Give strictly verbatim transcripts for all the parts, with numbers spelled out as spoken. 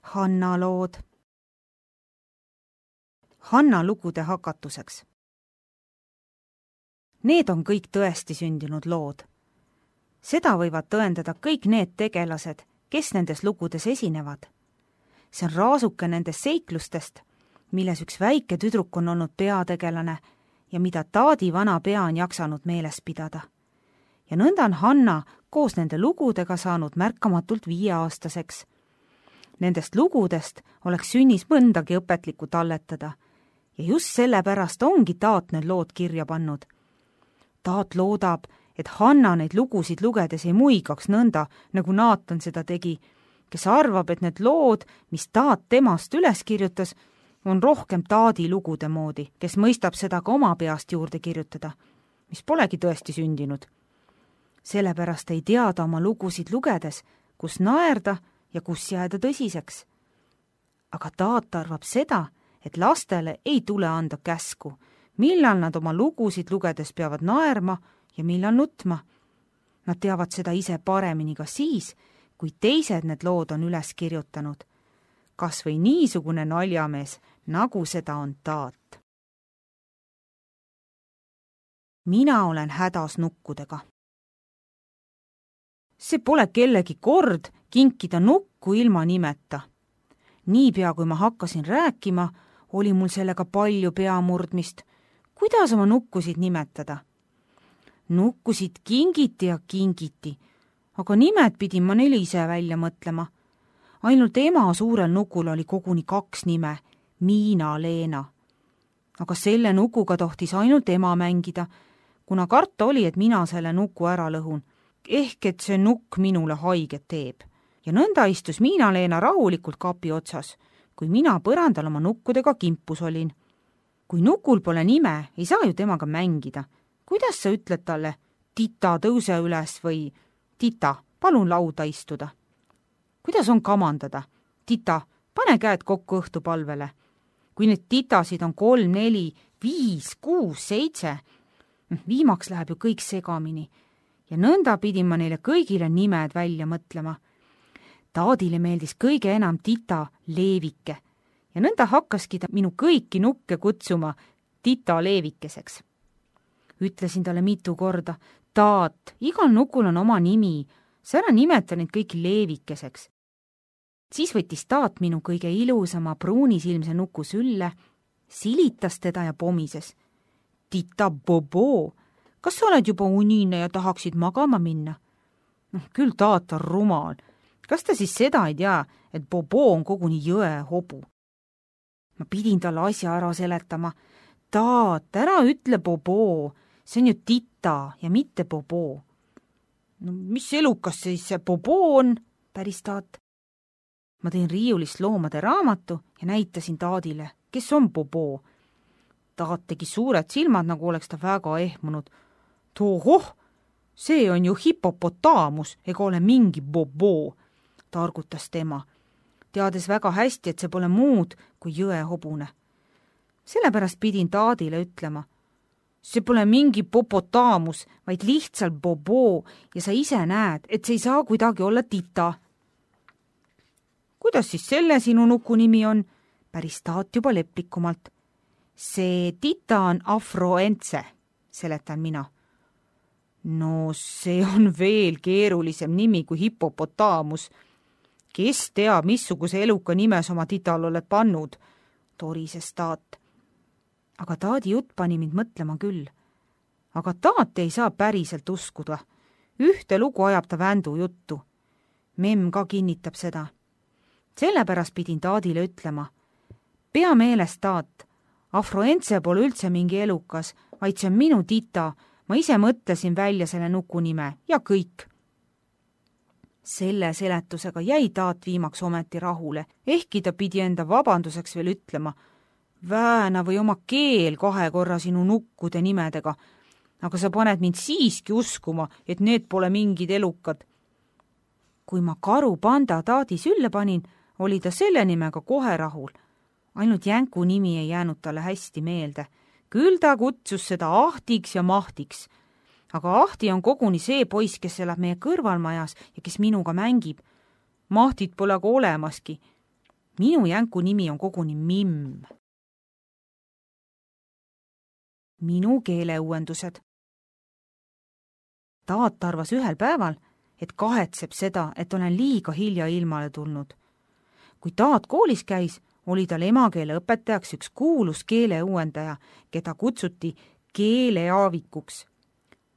Hanna lood. Hanna lugude hakatuseks. Need on kõik tõesti sündinud lood. Seda võivad tõendada kõik need tegelased, kes nendes lugudes esinevad. See on raasuke nendest seiklustest, milles üks väike tüdruk on olnud peategelane ja mida Taadi vana pea on jaksanud meeles pidada. Ja nõnda on Hanna koos nende lugudega saanud märkamatult viieaastaseks. Nendest lugudest oleks sünnis mõndagi õpetlikku talletada ja just sellepärast ongi Taat need lood kirja pannud. Taat loodab, et Hanna neid lugusid lugedes ei muigaks nõnda, nagu Naatan seda tegi, kes arvab, et need lood, mis Taat temast üles kirjutas, on rohkem Taadi lugude moodi, kes mõistab seda ka oma peast juurde kirjutada, mis polegi tõesti sündinud. Sellepärast ei teada oma lugusid lugedes, kus naerda ja kus jääda tõsiseks. Aga Taat arvab seda, et lastele ei tule anda käsku, millal nad oma lugusid lugedes peavad naerma ja millal nutma. Nad teavad seda ise paremini ka siis, kui teised need lood on üles kirjutanud. Kas või niisugune naljamees, nagu seda on Taat. Mina olen hädas nukkudega. See pole kellegi kord kinkida nukku ilma nimeta. Niipea kui ma hakkasin rääkima, oli mul sellega palju peamurdmist. Kuidas oma nukkusid nimetada? Nukkusid kingiti ja kingiti, aga nimed pidin ma neile ise välja mõtlema. Ainult ema suurel nukul oli koguni kaks nime, Miina-Leena. Aga selle nukuga tohtis ainult ema mängida, kuna karta oli, et mina selle nuku ära lõhun, ehk et see nukk minule haiget teeb. Ja nõnda istus Miina-Leena rahulikult kapi otsas, kui mina põrandal oma nukkudega kimpus olin. Kui nukul pole nime, ei saa ju temaga mängida. Kuidas sa ütled talle, Tita, tõuse üles või Tita, palun lauda istuda? Kuidas on kamandada? Tita, pane käed kokku õhtupalvele. Kui need titasid on kolm, neli, viis, kuus, seitse, viimaks läheb ju kõik segamini. Ja nõnda pidin ma neile kõigile nimed välja mõtlema. Taadile meeldis kõige enam Tita Leevike ja nõnda hakkaski ta minu kõiki nukke kutsuma Tita Leevikeseks. Ütlesin talle mitu korda, Taat, igal nukul on oma nimi, sa ära nimeta neid kõiki Leevikeseks. Siis võttis Taat minu kõige ilusama pruunisilmse nuku sülle, silitas teda ja pomises. Tita Bobo, kas sa oled juba unine ja tahaksid magama minna? No, küll Taat on rumal. Kas ta siis seda ei tea, et Bobo on koguni jõe hobu? Ma pidin talle asja ära seletama. Taat, ära ütle Bobo, see on ju Tita ja mitte Bobo. No mis elukas siis see Bobo on, päris Taat? Ma tõin riiulist loomade raamatu ja näitasin Taadile, kes on Bobo. Taat tegi suured silmad, nagu oleks ta väga ehmunud. Tohoh, see on ju hipopotaamus ega ole mingi Bobo, targutas tema, teades väga hästi, et see pole muud kui jõehobune. Sellepärast pidin Taadile ütlema, see pole mingi popotaamus, vaid lihtsalt Bobo ja sa ise näed, et see ei saa kuidagi olla Tita. Kuidas siis selle sinu nuku nimi on? Päris Taat juba leplikumalt. See Tita on Afroentse, seletan mina. No see on veel keerulisem nimi kui hipopotaamus. Kes teab, missuguse eluka nimes oma Tital oled pannud, torises Taat. Aga Taadi jutt pani mind mõtlema küll. Aga Taat ei saa päriselt uskuda. Ühte lugu ajab ta vändu juttu. Memm ka kinnitab seda. Sellepärast pidin Taadile ütlema. Pea meeles, Taat, Afroentse pole üldse mingi elukas, vaid see on minu Tita. Ma ise mõtlesin välja selle nuku nime ja kõik. Selle seletusega jäi Taat viimaks ometi rahule, ehkki ta pidi enda vabanduseks veel ütlema. Vääna või oma keel kahe korra sinu nukkude nimedega, aga sa paned mind siiski uskuma, et need pole mingid elukad. Kui ma karu panda Taadi sülle panin, oli ta selle nimega kohe rahul. Ainult Jänku nimi ei jäänud talle hästi meelde. Küll ta kutsus seda Ahtiks ja Mahtiks. Aga Ahti on koguni see poiss, kes elab meie kõrvalmajas ja kes minuga mängib. Mahtit pole aga olemaski. minu jänku nimi on koguni Mimm. Minu keeleuuendused. Taat arvas ühel päeval, et kahetseb seda, et olen liiga hilja ilmale tulnud. Kui Taat koolis käis, oli tal emakeele õpetajaks üks kuulus keeleuuendaja, keda kutsuti keeleaavikuks.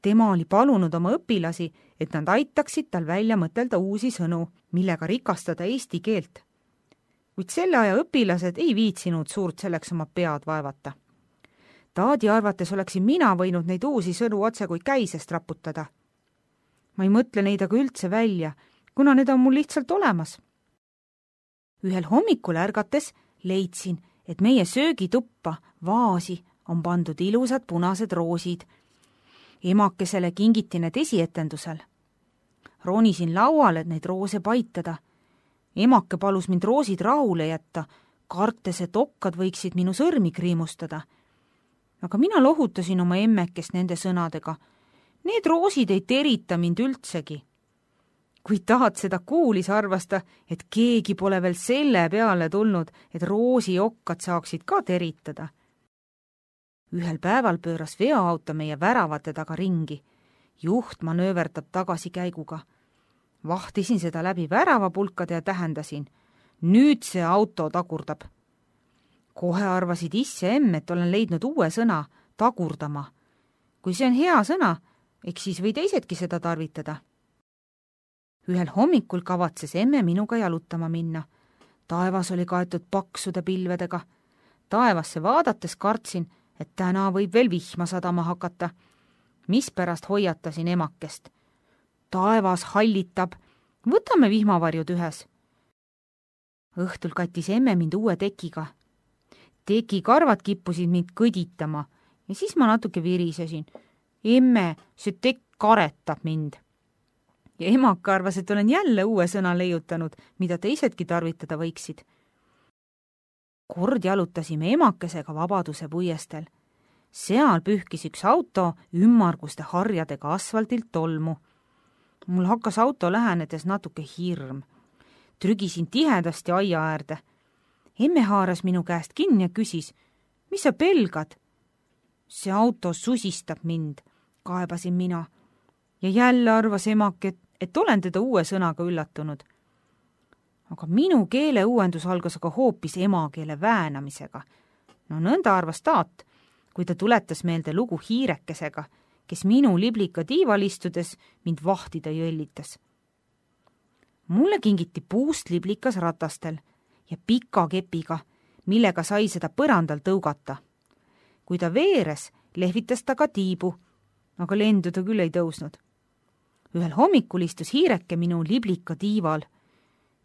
Tema oli palunud oma õpilasi, et nad aitaksid tal välja mõtelda uusi sõnu, millega rikastada eesti keelt. Kuid selle aja õpilased ei viitsinud suurt selleks oma pead vaevata. Taadi arvates oleksin mina võinud neid uusi sõnu otse kui käisest raputada. Ma ei mõtle neid aga üldse välja, kuna need on mul lihtsalt olemas. Ühel hommikul ärgates leidsin, et meie söögituppa vaasi on pandud ilusad punased roosid. Emakesele kingiti need esietendusel. Ronisin lauale, et neid roose paitada. Emake palus mind roosid rahule jätta, kartes, et okkad võiksid minu sõrmi kriimustada. Aga mina lohutasin oma emmekest nende sõnadega. Need roosid ei terita mind üldsegi. Kui Taat seda kuulis, arvas ta, et keegi pole veel selle peale tulnud, et roosi okkad saaksid ka teritada. Ühel päeval pööras veoauto meie väravate taga ringi. Juht manööverdab tagasikäiguga. Vahtisin seda läbi väravapulkade ja tähendasin. Nüüd see auto tagurdab. Kohe arvasid isse emm, et olen leidnud uue sõna, tagurdama. Kui see on hea sõna, eks siis või teisedki seda tarvitada. Ühel hommikul kavatses emme minuga jalutama minna. Taevas oli kaetud paksude pilvedega. Taevasse vaadates kartsin, et täna võib veel vihma sadama hakata. Mispärast hoiatasin emakest. Taevas hallitab, võtame vihmavarjud ühes. Õhtul kattis emme mind uue tekiga. Teki karvad kippusid mind kõditama ja siis ma natuke virisesin. Emme, see tekk karetab mind. Ja emaka arvas, et olen jälle uue sõna leiutanud, mida teisedki tarvitada võiksid. Kord jalutasime emakesega Vabaduse puiestel. Seal pühkis üks auto ümmarguste harjadega asfaltilt tolmu. Mul hakkas auto lähenedes natuke hirm. Trügisin tihedasti aia äärde. Emme haaras minu käest kinni ja küsis, mis sa pelgad? See auto susistab mind, kaebasin mina. Ja jälle arvas emak, et, et olen teda uue sõnaga üllatunud. Aga minu keeleuuendus algas aga hoopis emakeele väänamisega. No nõnda arvas Taat, kui ta tuletas meelde lugu hiirekesega, kes minu liblika tiival istudes mind vahtida jõllitas. Mulle kingiti puust liblikas ratastel ja pika kepiga, millega sai seda põrandal tõugata. Kui ta veeres, lehvitas ta ka tiibu, aga lendu ta küll ei tõusnud. Ühel hommikul istus hiireke minu liblika tiival.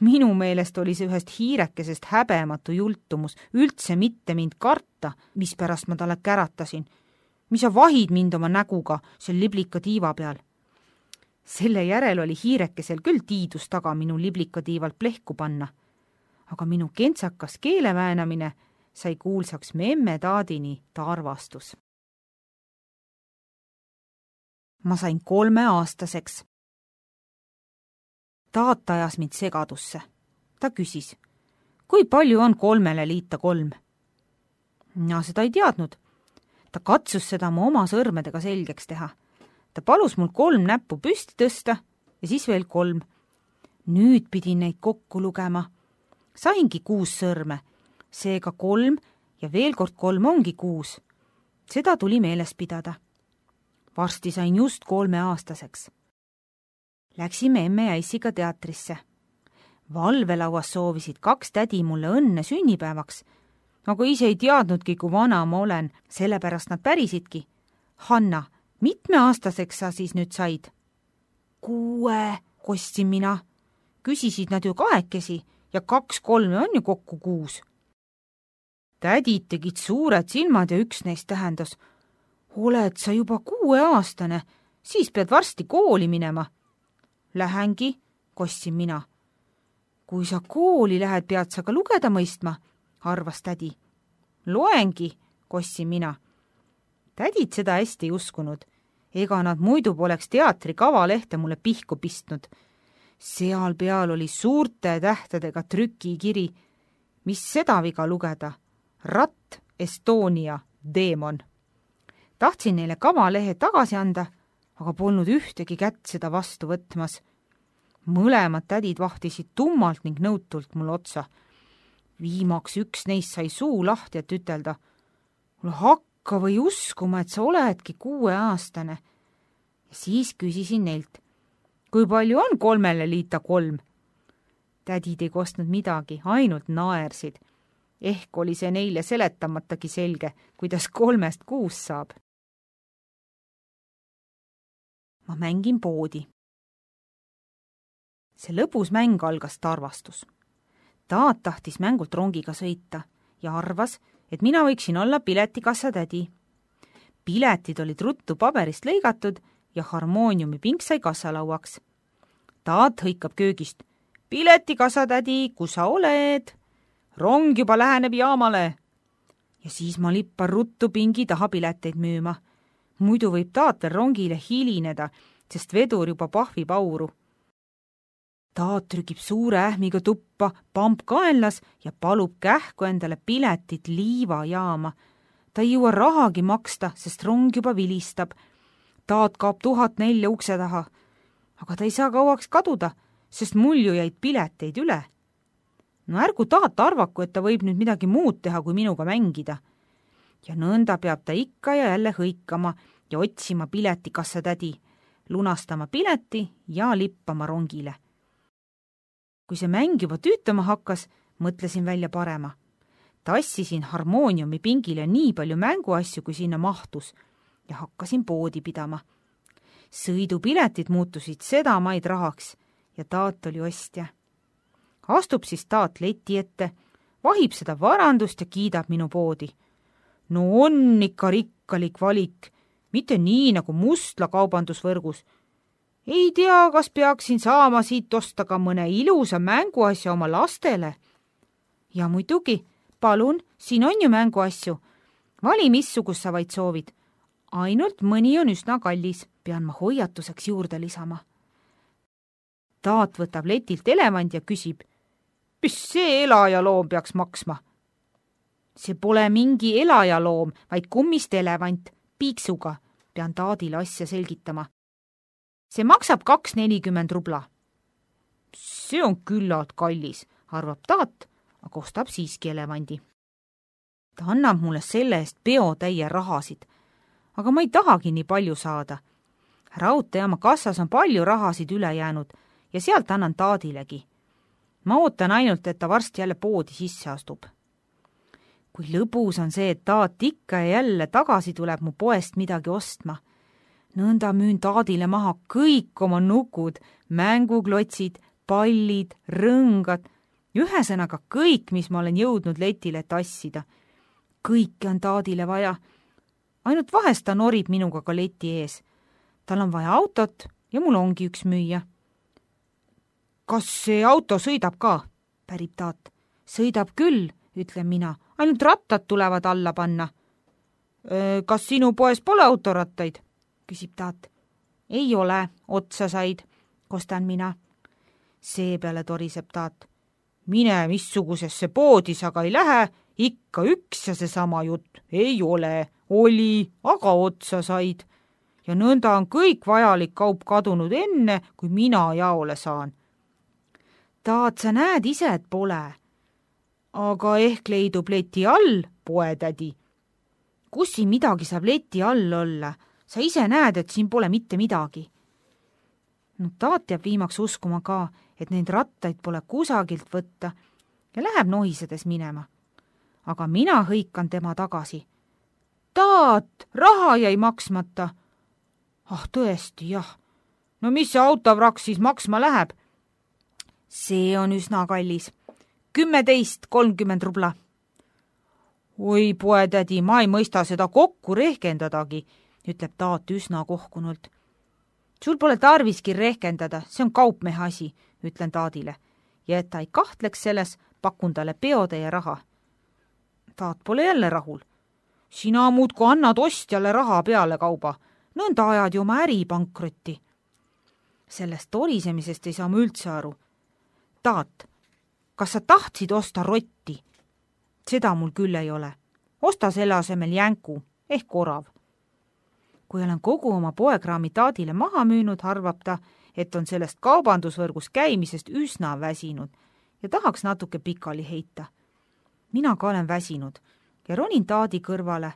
Minu meelest oli see ühest hiirekesest häbematu jultumus, üldse mitte mind karta, mispärast ma talle käratasin. Mis sa vahid mind oma näguga seal liblika tiiva peal? Selle järel oli hiirekesel küll tiidus taga minu liblika tiivalt plehku panna. Aga minu kentsakas keeleväänamine sai kuulsaks me emme Taadini ta arvastus. Ma sain kolmeaastaseks. Taat ajas mind segadusse. Ta küsis, kui palju on kolmele liita kolm? Ma seda ei teadnud. Ta katsus seda mu oma sõrmedega selgeks teha. Ta palus mul kolm näppu püsti tõsta ja siis veel kolm. Nüüd pidin neid kokku lugema. Saingi kuus sõrme, seega kolm ja veel kord kolm ongi kuus. Seda tuli meeles pidada. Varsti sain just kolmeaastaseks. Läksime emme ja issiga teatrisse. Valvelauas soovisid kaks tädi mulle õnne sünnipäevaks, aga ise ei teadnudki, kui vana ma olen, sellepärast nad pärisidki. Hanna, mitme aastaseks sa siis nüüd said? Kuue, kostsin mina. Küsisid nad ju kahekesi ja kaks kolme on ju kokku kuus. Tädid tegid suured silmad ja üks neist tähendas, oled sa juba kuueaastane, siis pead varsti kooli minema. Lähengi, kostsin mina. Kui sa kooli lähed, pead sa ka lugeda mõistma, arvas tädi. Loengi, kostsin mina. Tädid seda hästi ei uskunud. Ega nad muidu poleks teatri kavalehte mulle pihku pistnud. Seal peal oli suurte tähtedega trükikiri. mis seda viga lugeda? Ratt Estonia Demon. Tahtsin neile kavalehe tagasi anda, aga polnud ühtegi kätt seda vastu võtmas. Mõlemad tädid vahtisid tummalt ning nõutult mul otsa. Viimaks üks neist sai suu lahti, et ütelda, mul hakka või uskuma, et sa oledki kuueaastane. Ja siis küsisin neilt, kui palju on kolmele liita kolm? Tädid ei kostnud midagi, ainult naersid. Ehk oli see neile seletamatagi selge, kuidas kolmest kuus saab. Ma mängin poodi. See lõbus mäng algas Tarvastus. Taat tahtis mängult rongiga sõita ja arvas, et mina võiksin olla piletikassa tädi. Piletid olid ruttu paberist lõigatud ja harmooniumi pink sai kassalauaks. Taat hõikab köögist. Piletikassa tädi, kus sa oled? Rong juba läheneb jaamale. Ja siis ma lippan ruttu pingi taha pileteid müüma. Muidu võib Taat veel rongile hilineda, sest vedur juba pahvib auru. Taat trükib suure ähmiga tuppa, pamp kaenlas ja palub kähku endale piletit liivajaama. Ta ei jõua rahagi maksta, sest rong juba vilistab. Taat kaob tuhat nelja ukse taha. Aga ta ei saa kauaks kaduda, sest mul ju jäid pileteid üle. No ärgu Taat arvaku, et ta võib nüüd midagi muud teha, kui minuga mängida. Ja nõnda peab ta ikka ja jälle hõikama ja otsima piletikassa tädi, lunastama pileti ja lippama rongile. Kui see mäng juba tüütama hakkas, mõtlesin välja parema. Tassisin harmooniumi pingile nii palju mänguasju, kui sinna mahtus ja hakkasin poodi pidama. Sõidupiletid muutusid sedamaid rahaks ja Taat oli ostja. Astub siis Taat leti ette, vahib seda varandust ja kiidab minu poodi. No on ikka rikkalik valik, mitte nii nagu Mustla kaubandusvõrgus. Ei tea, kas peaksin saama siit osta ka mõne ilusa mänguasja oma lastele. Ja muidugi, palun, siin on ju mänguasju. Vali, missugus sa vaid soovid. Ainult mõni on üsna kallis, pean ma hoiatuseks juurde lisama. Taat võtab letilt elevand ja küsib, mis see elajaloom peaks maksma? See pole mingi elajaloom, vaid kummist elevant, piiksuga, pean Taadile asja selgitama. See maksab kaks nelikümmend rubla. See on küllalt kallis, arvab Taat, aga ostab siiski elevandi. Ta annab mulle selle eest peotäie rahasid, aga ma ei tahagi nii palju saada. Raudteejaama kassas on palju rahasid üle jäänud ja sealt annan Taadilegi. Ma ootan ainult, et ta varsti jälle poodi sisse astub. Kui lõbus on see, et Taat ikka ja jälle tagasi tuleb mu poest midagi ostma. Nõnda müün Taadile maha kõik oma nukud, mänguklotsid, pallid, rõngad, ühesõnaga kõik, mis ma olen jõudnud letile tassida. Kõike on Taadile vaja. Ainult vahest ta norib minuga ka leti ees. Tal on vaja autot ja mul ongi üks müüa. Kas see auto sõidab ka? Pärib Taat. Sõidab küll, ütlen mina. Ainult rattad tulevad alla panna. Kas sinu poes pole autorattaid? Küsib Taat. Ei ole, otsa said, kostan mina. Seepeale toriseb Taat. Mine missugusesse poodi sa ka ei lähe, ikka üks ja seesama jutt. Ei ole, oli, aga otsa said. Ja nõnda on kõik vajalik kaup kadunud enne, kui mina jaole saan. Taat, sa näed ise, et pole. Aga ehk leidub leti all, poetädi. Kus siin midagi saab leti all olla? Sa ise näed, et siin pole mitte midagi. No Taat jääb viimaks uskuma ka, et neid rattaid pole kusagilt võtta ja läheb nohisedes minema. Aga mina hõikan tema tagasi. Taat, raha jäi maksmata. Ah, tõesti, jah. No mis see autovrak siis maksma läheb? See on üsna kallis. Kümmeteist, kolmkümmend rubla. Oi, poetädi, ma ei mõista seda kokku rehkendadagi, ütleb Taat üsna kohkunult. Sul pole tarviski rehkendada, see on kaupmehe asi, ütlen Taadile. Ja et ta ei kahtleks selles, pakun talle peotäie raha. Taat pole jälle rahul. Sina muudku annad ostjale raha peale kauba. Nõnda ajad ju oma äri pankrotti. Sellest torisemisest ei saa ma üldse aru. Taat, kas sa tahtsid osta rotti? seda mul küll ei ole. Osta selle asemel jänku ehk orav. Kui olen kogu oma poekraami Taadile maha müünud, arvab ta, et on sellest kaubandusvõrgus käimisest üsna väsinud ja tahaks natuke pikali heita. Mina ka olen väsinud ja ronin Taadi kõrvale,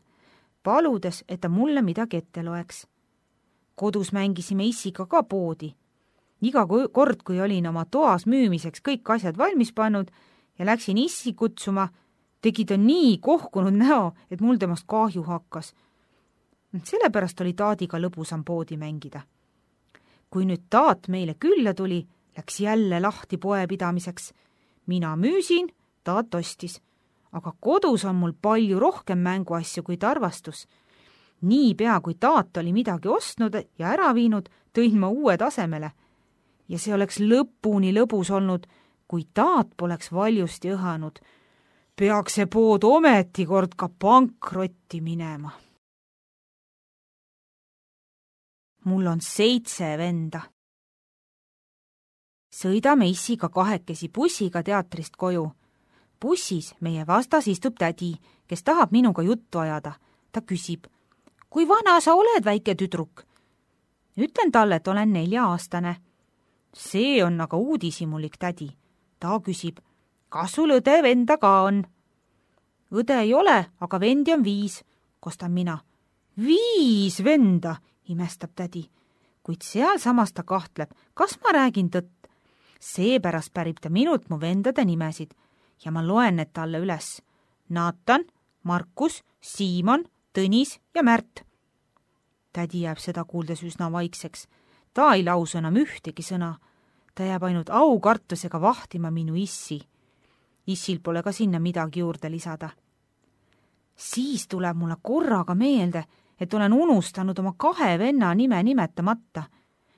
paludes, et ta mulle midagi ette loeks. Kodus mängisime issiga ka poodi. Iga kord, kui olin oma toas müümiseks kõik asjad valmis pannud ja läksin issi kutsuma, tegi ta nii kohkunud näo, et mul temast kahju hakkas. Sellepärast oli Taadiga lõbusam poodi mängida. Kui nüüd Taat meile külla tuli, läks jälle lahti poepidamiseks. Mina müüsin, Taat ostis, aga kodus on mul palju rohkem mänguasju kui tarvastus. Niipea, kui Taat oli midagi ostnud ja ära viinud, tõin ma uue tasemele. Ja see oleks lõpuni lõbus olnud, kui Taat poleks valjusti õhanud. Peaks see pood ometi kord ka pankrotti minema. Mul on seitse venda. Sõidame issiga kahekesi bussiga teatrist koju. Bussis meie vastas istub tädi, kes tahab minuga juttu ajada. Ta küsib, kui vana sa oled, väike tüdruk? Ütlen talle, et olen nelja-aastane. See on aga uudishimulik tädi. Ta küsib, kas sul õde venda ka on? Õde ei ole, aga vendi on viis, kostan mina. Viis venda, imestab tädi, kuid seal samas ta kahtleb, kas ma räägin tõtt. Seepärast pärib ta minult mu vendade nimesid ja ma loen need talle üles. Naatan, Markus, Siimon, Tõnis ja Märt. Tädi jääb seda kuuldes üsna vaikseks. Ta ei lausu enam ühtegi sõna. Ta jääb ainult aukartusega vahtima minu issi. Issil pole ka sinna midagi juurde lisada. Siis tuleb mulle korraga meelde, et olen unustanud oma kahe venna nime nimetamata.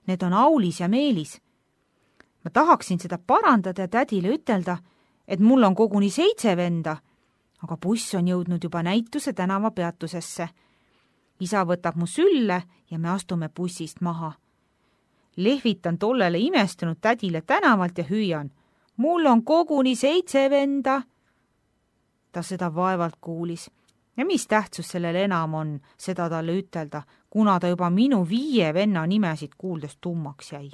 Need on Aulis ja Meelis. Ma tahaksin seda parandada ja tädile ütelda, et mul on koguni seitse venda, aga buss on jõudnud juba näituse tänava peatusesse. Isa võtab mu sülle ja me astume bussist maha. Lehvitan tollele imestunud tädile tänavalt ja hüüan. Mul on koguni seitse venda. Ta seda vaevalt kuulis. Ja mis tähtsus sellel enam on, seda talle ütelda, kuna ta juba minu viie venna nimesid kuuldes tummaks jäi.